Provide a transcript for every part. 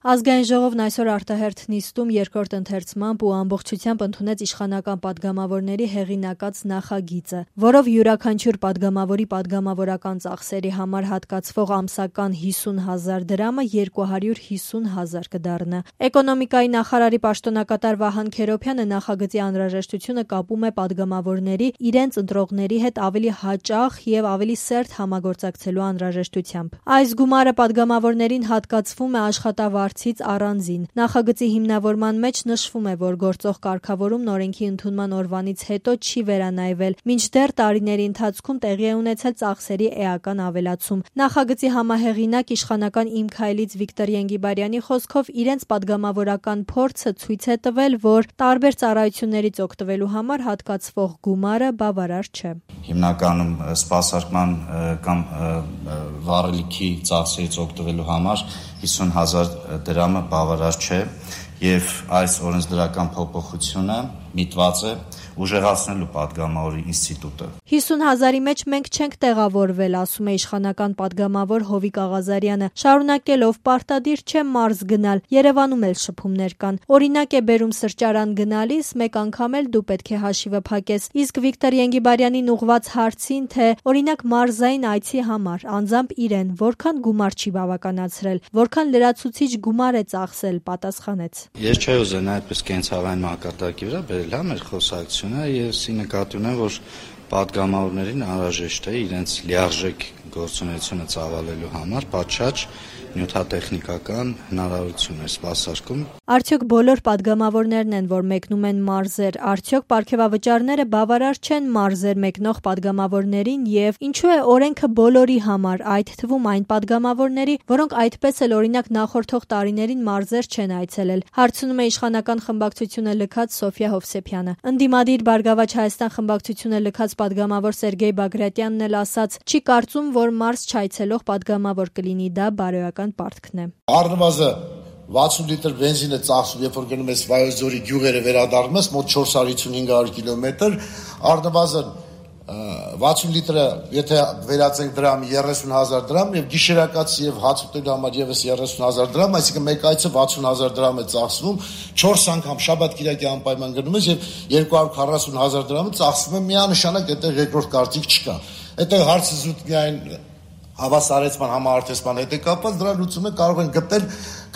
Ազգային ժողովն այսօր արտահերթ նիստում երկրորդ ընթերցմամբ ու ամբողջությամբ ընդունեց իշխանական պատգամավորների հեղինակած նախագիծը, որով յուրաքանչյուր պատգամավորի պատգամավորական ծախսերի համար հատկացվող ամսական 50,000 դրամը 250,000 կդառնա։ Էկոնոմիկայի նախարարի պաշտոնակատար Վահան Քերոբյանը նախագծի անհրաժեշտությունը կապում է պատգամավորների իրենց ընտրողների հետ ավելի հաճախ եւ ավելի սերտ համագործակցելու անհրաժեշտությամբ։ Այս գումարը պատգամավորներին հատկացվում է աշխատավարձից առանձին։ Նախագծի հիմնավորման մեջ նշվում է, որ գործող կարգավորումն օրենքի ընդունման օրվանից հետո չի վերանայվել, մինչդեռ տարիների ընթացքում տեղի է ունեցել ծախսերի էական ավելացում։ Նախագծի համահեղինակ իշխանական «Իմ քայլից» Վիկտոր Ենգիբարյանի խոսքով իրենց պատգամավորական փորձը ցույց է տվել, որ տարբեր ծառայություններից օգտվելու համար հատկացվող գումարը բավարար չէ։ Հիմնականում սպասարկման կամ վառելիքի ծախսերից օգտվելու համար 50,000 դրամը բավարար չէ եւ այս օրենսդրական փոփոխությունը միտված է ուժեղացնելու պատգամավորի ինստիտուտը։ 50,000-ի մեջ մենք չենք տեղավորվել, ասում է իշխանական պատգամավոր Հովիկ Աղազարյանը, շարունակելով պարտադիր չէ մարզ գնալ, Երևանում էլ շփումներ կան։ Օրինակ է բերում սրճարան գնալիս, մեկ անգամ էլ դու պետք է հաշիվը փակես։ Իսկ Վիկտոր Ենգիբարյանին ուղված հարցին, թե օրինակ մարզային այցի համար անձամբ իրեն որքան գումար չի բավականացրել, որքան լրացուցիչ գումար է ծախսել, պատասխանեց. Ես չէի ուզենա այդպես կենցաղային մակարդակի վրա բերել մեր խոսակցությունը, ես նկատի ունեմ, որ պատգամավորներին անհրաժեշտ է իրենց լիարժեք գործունեությունը ծավալելու համար պատշաճ նյութատեխնիկական հնարավորություն է սպասարկում։ Արդյոք բոլոր պատգամավորներն են, որ մեկնում են մարզեր, արդյոք պարգևավճարները բավարար չեն մարզեր մեկնող պատգամավորներին եւ ինչու է օրենքը բոլորի համար, այդ թվում այն պատգամավորների, որոնք այդպես էլ օրինակ նախորդող տարիներին մարզեր չեն այցելել, հարցնում է իշխանական խմբակցությունը լքած Սոֆիա Հովսեփյանը։ Ընդդիմադիր Բարգավաճ Հայաստան խմբակցությունը լքած պատգամավոր Սերգեյ Բագրատյանն էլ ասաց, չի կարծում, որ մարզ չայցելող պատգամավոր կլինի, դա բարոյական պարտքն է։ Առնվազն 60 լիտր բենզին է ծախսում, երբ որ գնում ես Վայոց ձորի գյուղերը վերադառնում ես, մոտ 455 կիլոմետր, առնվազն 60 լիտրը, եթե վերածենք դրամի 30,000 դրամ եւ գիշերակաց եւ հաց ուտելու համար եւս 30,000 դրամ, այսինքն մեկ այցը 60,000 դրամ է ծախսվում, 4 անգամ շաբաթ-կիրակի անպայման գնում ես եւ 240,000 դրամը ծախսվում է միանշանակ, այդտեղ երկրորդ կարծիք չկա։ Այդտեղ հարցը զուտ միայն հավասարեցման, համահարթեսման հետ է կապված, դրա լուծումը կարող են գտնել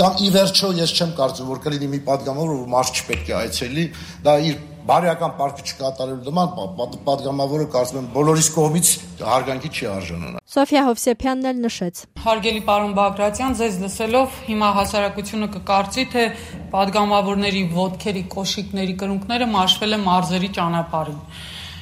կամ ի վերջո ես չեմ կարծում, որ կլինի մի պատգամավոր, որ մարդ չպետք է այցելի, դա իր բարոյական պարտքը չկատարելու նման պատգամավորը կարծում եմ բոլորիս կողմից հարգանքի չի արժանանա։ Սոֆիա Հովսեփյանն էլ նշեց. Հարգելի պարոն Բագրատյան, ձեզ լսելով հիմա հասարակությունը կկարծի, թե պատգամավորների ոտքերի, կոշիկների կրունկները մաշվել է մարզերի ճանապարհին։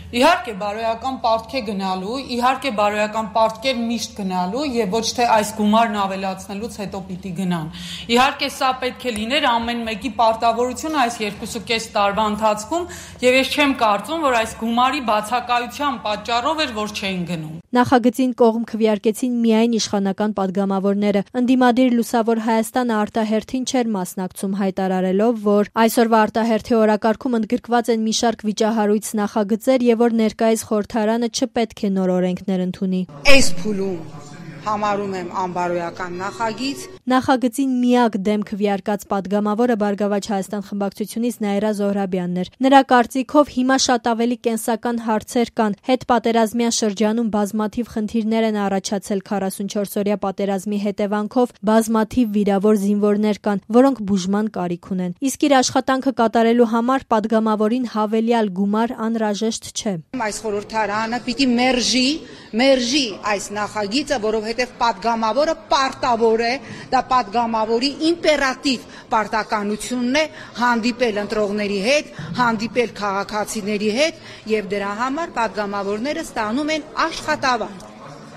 Իհարկե բարոյական պարտք է գնալու, իհարկե բարոյական պարտքեր միշտ գնալու եւ ոչ թե այս գումարն ավելացնելուց հետո պիտի գնան։ Իհարկե սա պետք է լիներ ամեն մեկի պարտավորությունը այս 2.5 տարվա ընթացքում եւ ես չեմ կարծում, որ այս գումարի բացակայության պատճառով էր, որ չէին գնում։ Նախագծին կողմ քվեարկեցին միայն իշխանական պատգամավորները։ Ընդդիմադիր Լուսավոր Հայաստանը արտահերթին չէր մասնակցում, հայտարարելով, որ այսօրվա արտահերթի օրակարգում ընդգրկված են մի շարք վիճահարույց նախագծեր եւ որ ներկայիս խորհրդարանը չպետք է նոր օրենքներ ընդունի։ Այս փուլում համարում եմ անբարոյական նախագիծ։ Նախագծին միակ դեմ քվեարկած պատգամավորը Բարգավաճ Հայաստան խմբակցությունից Նաիրա Զոհրաբյանն էր։ Նրա կարծիքով հիմա շատ ավելի կենսական հարցեր կան։ Հետպատերազմյան շրջանում բազմաթիվ խնդիրներ են առաջացել 44-օրյա պատերազմի հետևանքով, բազմաթիվ վիրավոր զինվորներ կան, որոնք բուժման կարիք ունեն։ Իսկ իր աշխատանքը կատարելու համար պատգամավորին հավելյալ գումար անհրաժեշտ չէ։ Այս խորհրդարանը պիտի մերժի այս նախագիծը, որովհետև պատգամավորը պարտավոր է, դա պատգամավորի իմպերատիվ պարտականությունն է հանդիպել ընտրողների հետ, հանդիպել քաղաքացիների հետ եւ դրա համար պատգամավորները ստանում են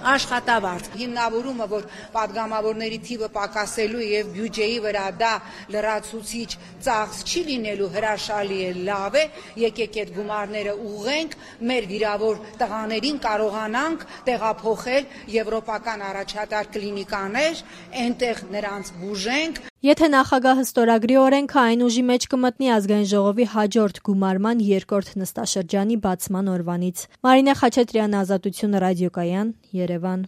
աշխատավարձ։ Հիմնավորումը, որ պատգամավորների թիվը պակասելու եւ բյուջեի վրա դա լրացուցիչ ծախս չի լինելու հրաշալի է, լավ է, եկեք այդ գումարները ուղղենք, մեր վիրավոր տղաներին կարողանանք տեղափոխել եվրոպական առաջատար կլինիկաներ, այնտեղ նրանց բուժենք։ Եթե նախագահը ստորագրի օրենքը, այն ուժի մեջ կմտնի Ազգային ժողովի հաջորդ գումարման երկրորդ նստաշրջանի բացման օրվանից։ Մարինե Խաչատրյան, Ազատություն ռադիոկայան, Երևան։